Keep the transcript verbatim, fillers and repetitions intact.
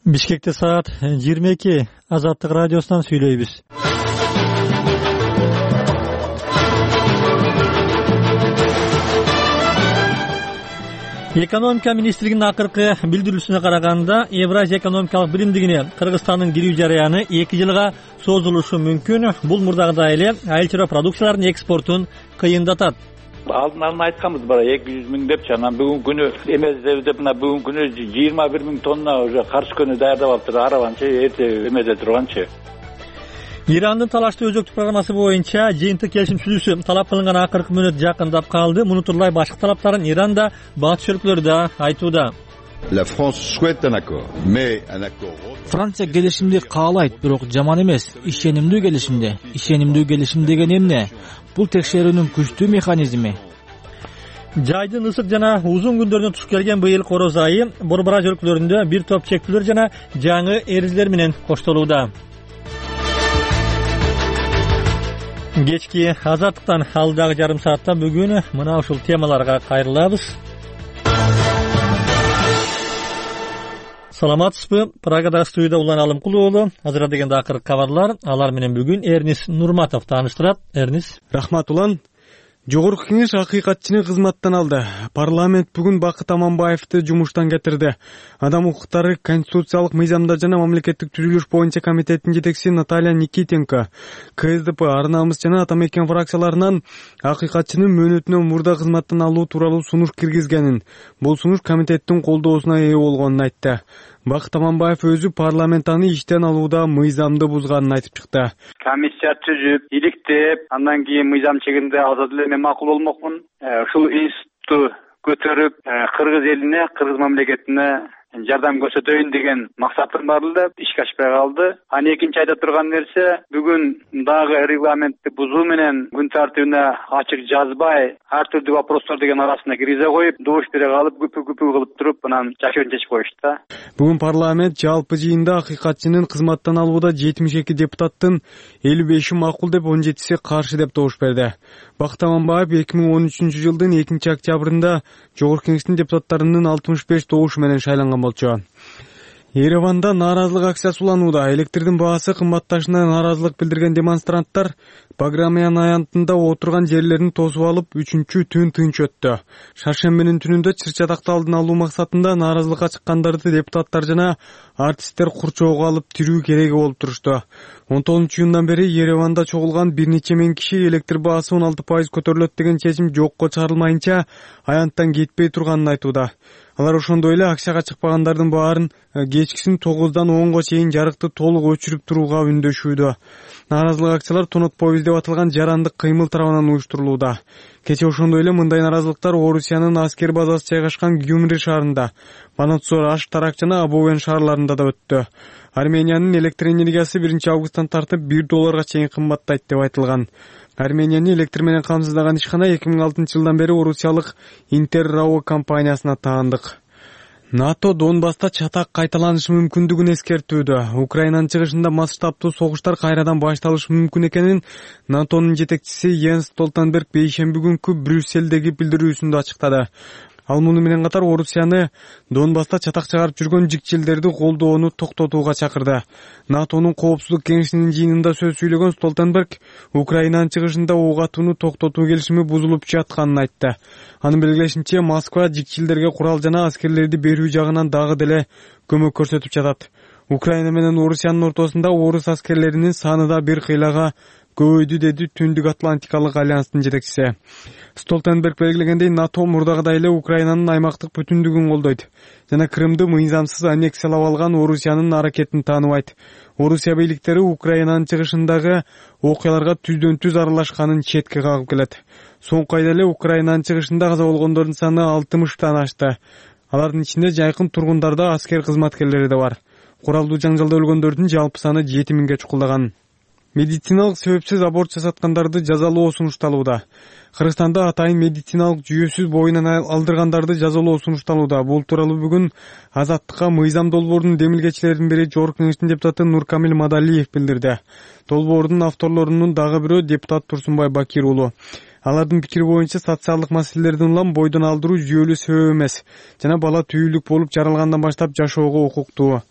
Бишкекте саат жыйырма эки. Азаттык радиосунан сүйлөйбүз. Экономика министрлигинин акыркы билдирүүсүнө караганда, Евразия экономикалык биримдигине Кыргызстандын кирүү жараяны эки жылга созулушу мүмкүн. Бул мурдагыдай эле айыл чарба продукцияларынын экспортун кыйындатат. Алдын ала айтканбыз бара эки жүз миң депчи, анан бүгүнкү күнү эмездеби деп мына бүгүнкү күнү жыйырма бир миң тонна уже каршы күнү даярдап алыптыр. Араванчы эрте эмеде турганчы. Ирандын талаштуу өзөктүк программасы боюнча жыйынтык келишим түзүүсү талап кылынган акыркы мүнөт жакындап калды. Муну турлай башка талаптарын Иран да, батыш өлкөлөрү да айтууда. La France souhaite un accord, mais un accord. Франция келишимди каалайт, бирок жаман эмес. Ишенимдүү келишимди. Ишенимдүү келишим деген эмне? Бул текшерүүнүн күчтүү механизми. Жайдын ысык жана узун күндөрүнө туш келген быйыл короз айы Борбораж өлкөлөрүндө бир топ чектүүлөр жана жаңы эрежелер менен коштолууда. Кечки азаттыктан алдагы жарым саатта бүгүн мына ушул темаларга кайрылабыз. Саламатсызбы? Прагада студияда Улан Алымкулуу уулу. Азыр дегенде акыркы кабарлар. Алар менен бүгүн Эрнис Нурматов тааныштырат. Эрнис. Рахмат Улан. Жогорку кеңеш акыйкатчыны кызматтан алды. Парламент бүгүн Бакыт Аманбаевди жумуштан кетирди. Адам укуктары конституциялык мыйзамдар жана мамлекеттик түзүлүш боюнча комитеттин жетекчиси Наталья Никитенко, КСДП, Ар намыс жана Атамекен фракцияларынан акыйкатчынын мөөнөтүнөн мурда кызматтан алуу тууралуу сунуш киргизгенин, бул сунуш комитеттин колдоосуна ээ болгонун айтты. Бакыт Аманбаев өзү парламент аны иштен алууда мыйзамды бузганын айтып чыкты. Комиссия түзүп, иликтеп, андан кийин мыйзам чегинде алса деле мен макул болмокмун. Ушул институтту көтөрүп, кыргыз элине, кыргыз мамлекетине жардам көрсөтөйүн деген максатым бар эле, ишке ашпай калды. Аны экинчи айта турган нерсе, бүгүн дагы регламентти бузуу менен күн тартибине ачык жазбай, ар түрдүү вопростор деген арасына киргизе коюп, добуш бере калып, күпү-күпү кылып туруп, анан жашырын чечип коюшту да. Бүгүн парламент жалпы жыйында акыйкатчынын кызматтан алууда жетимиш эки депутаттын элүү беши макул деп, он жетиси каршы деп добуш берди. Бакыт Аманбаев эки миң он үчүнчү жылдын экинчи октябрында Жогорку кеңештин депутаттарынын алтымыш беш добушу менен шайланган болчу. Ереванда нааразылык акциясы уланууда. Электрдин баасы кымбатташына нааразылык билдирген демонстранттар Баграмян аянтында отурган жерлерин тосуп алып, үчүнчү түн тынч өттү. Шаршембинин түнүндө чыр-чатакты алдын алуу максатында нааразылыкка чыккандарды депутаттар жана артисттер курчоого алып тирүү кереги болуп турушту. он тогузунчу июндан бери Ереванда чогулган бир нече миң киши электр баасы он алты пайыз көтөрүлөт деген чечим жокко чыгарылмайынча аянттан кетпей турганын айтууда. Алар ошондой эле акчага чыкпагандардын баарын кечкисин тогуздан онго чейин жарыкты толук өчүрүп турууга үндөшүүдө. Нааразылык акциялар Тонот Повиз деп аталган жарандык кыймыл тарабынан уюштурулууда. Кече ошондой эле мындай нааразылыктар Орусиянын аскер базасы жайгашкан Гюмри шаарында, Банатсор, Аштарак жана Абовен шаарларында да өттү. Армениянын электр энергиясы биринчи августтан тартып бир долларга чейин кымбаттайт деп айтылган. Арменияны электр менен камсыздаган ишкана эки миң алтынчы жылдан бери орусиялык Интеррао компаниясына таандык. НАТО Донбасста чатак кайталанышы мүмкүндүгүн эскертүүдө. Украинанын чыгышында масштабтуу согуштар кайрадан башталышы мүмкүн экенин НАТОнун жетекчиси Йенс Столтенберг бейшемби күнкү Брюсселдеги билдирүүсүндө ачыктады. Ал муну менен катар Орусияны Донбасста чатак чыгарып жүргөн жикчилдерди колдоону токтотууга чакырды. НАТОнун коопсуздук кеңешинин жыйынында сөз сүйлөгөн Столтенберг Украинанын чыгышында ок атууну токтотуу келишими бузулуп жатканын айтты. Анын белгилешинче, Москва жикчилдерге курал жана аскерлерди берүү жагынан дагы деле көмөк көрсөтүп жатат. Украина менен Орусиянын ортосунда орус аскерлеринин саны да бир кыйлага көбөйдү, деди Түндүк Атлантикалык альянстын жетекчиси. Столтенберг белгилегендей, НАТО мурдагыдай эле Украинанын аймактык бүтүндүгүн колдойт жана Крымды мыйзамсыз аннексиялап алган Орусиянын аракетин тааныбайт. Орусия бийликтери Украинанын чыгышындагы окуяларга түздөн түз аралашканын четке кагып келет. Соңку айда эле Украинанын чыгышында каза болгондордун саны алтымыштан ашты. Алардын ичинде жайкын тургундарда аскер кызматкерлери да бар. Куралдуу жаңжалда өлгөндөрдүн жалпы саны жети миңге чукулдаган. Медициналык себепсиз аборт жасаткандарды жазалоо сунушталууда. Кыргызстанда атайын медициналык жүйөсүз боюнан алдыргандарды жазалоо сунушталууда. Бул тууралуу бүгүн Азаттыкка мыйзам долбоорунун демилгечилеринин бири Жогорку кеңештин депутаты Нуркамил Мадалиев билдирди. Долбоордун авторлорунун дагы бирөө депутат Турсунбай Бакир уулу. Алардын пикири боюнча социалдык маселелердин улам бойдон алдыруу жүйөлүү себеп эмес жана бала түйүлүк болуп жаралгандан баштап жашоого укуктуу.